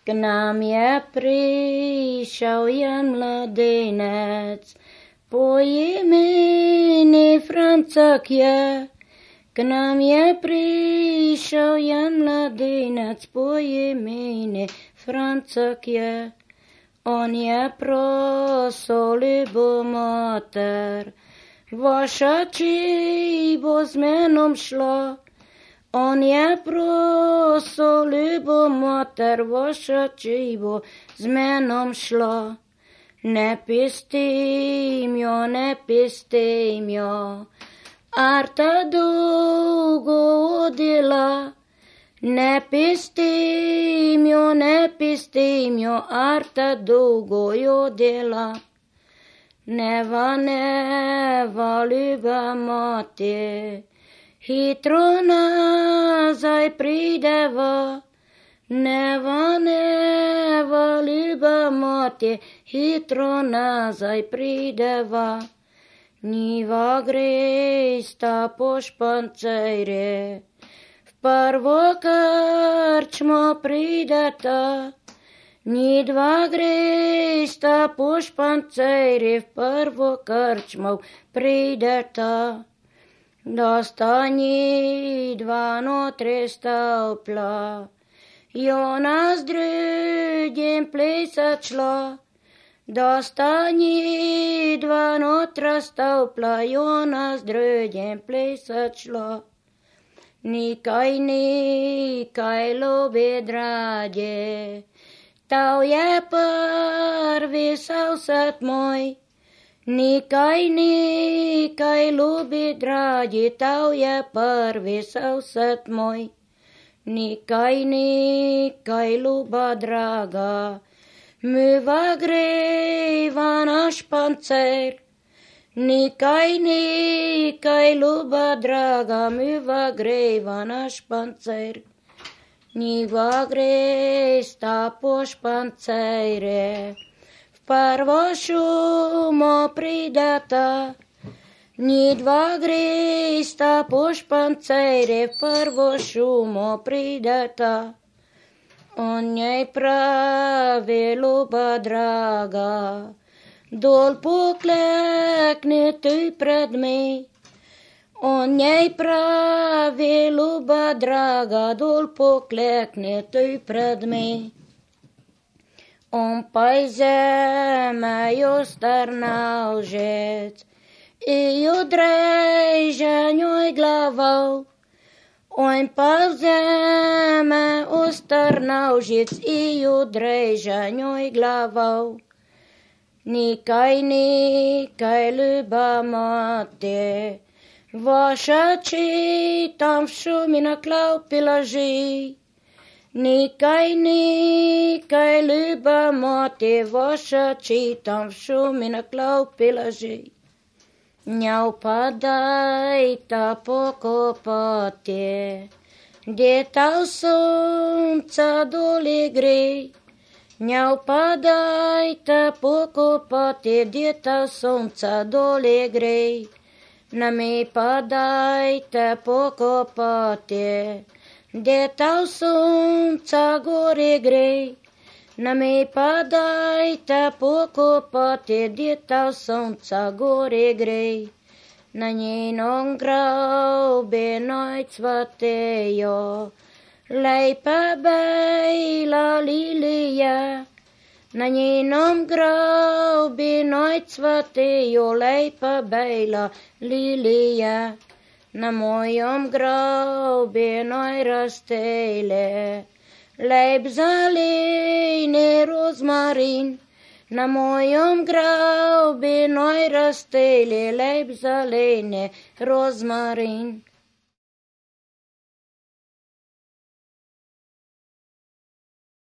K nám je prišiel jen mladenec, po jméni Francak je. K nám je prišiel jen mladenec, po jméni Francak je. On je prosil, ljubo mater, vaša čibo s menom šla. On je prosil, ljubo mater, vaša čibo s menom šla. Ne pistim jo, Arta dolgo odjela. Ne pistim jo, Arta dolgo jo dela. Neva, ljuba mati, hitro nazaj prideva. Neva, ljuba mati, hitro nazaj prideva. Niva gresta po špancejre, v prvo krčmo prideta. Ni dva gresta po špancejre, v prvo krčmo prideta. Dosta ni dva notri stopla, Jona s drugim plesat šla. Dosta ni dva notra stopla, Jona s drugim plesat šla. Nikaj, ljubi drage, tau je prvi sosed moj. Nikaj, ljubi dragi, tau je prvi sosed moj. Nikaj, ljuba draga, myva greva na špancer. Nikaj, ljuba draga, myva greva na špancer. Niva gresta po špancere, v prvo šumo prideta. Ni dva gresta po špancere, v prvo šumo prideta. On njej pravi, ljuba draga, dol poklekni tu pred me. On njej pravi, ljuba draga, dol poklekni tu pred me. On pa iz zeme jo strnal žec i jo dreže njoj glavo. On pa v zeme ostrnal žec i jo dreže njoj glavo. Nikaj, ljuba mati, vaša či tam v šumi na klaupi leži. Nikaj, ljuba mati, vaša či tam v šumi na klaupi leži. Njav pa dajta pokopati, gdje ta sonca doli gre. Njav pa dajta pokopati, gdje ta sonca doli gre. Na me pa dajte pokopati, gdje ta sonca gori gre. Na me pa dajte pokopati, gdje ta sonca gori gre. Na njenom grobi noj cvatejo, lepa bejla lilija. Na njenom grobi noj cvatejo, lepa bejla lilija. Na mojom grobi noj rastele, lep zeleni rozmarin. Na mojom grobi noj rastele, lep zeleni rozmarin.